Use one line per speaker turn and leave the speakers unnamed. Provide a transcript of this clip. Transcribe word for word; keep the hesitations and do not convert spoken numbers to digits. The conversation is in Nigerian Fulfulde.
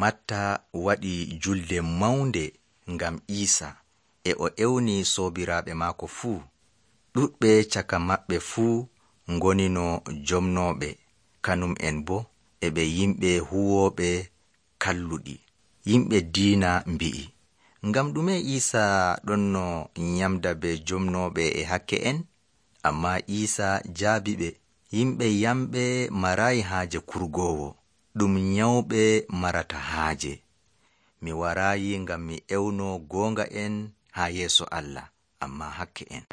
Matta waɗi julde mawnde ngam Iisa, e o ewni soobiraaɓe maako fuu. Ɗuɗɓe caka maɓɓe fuu ngonino jomnooɓe, kanum en bo e ɓe yimɓe huwooɓe kalluɗi. Yimɓe diina mbi'i, ngam ɗume Iisa ɗonno nyamda be jomnooɓe e hakke en? Ammaa Iisa jaabiɓe, yimɓe yamɓe maraayi haaje kurgoowo, ɗum nyawɓe marata haaje. Mi waraayi ngam mi ewno goonga en haa yeeso Allah, ammaa hakke en.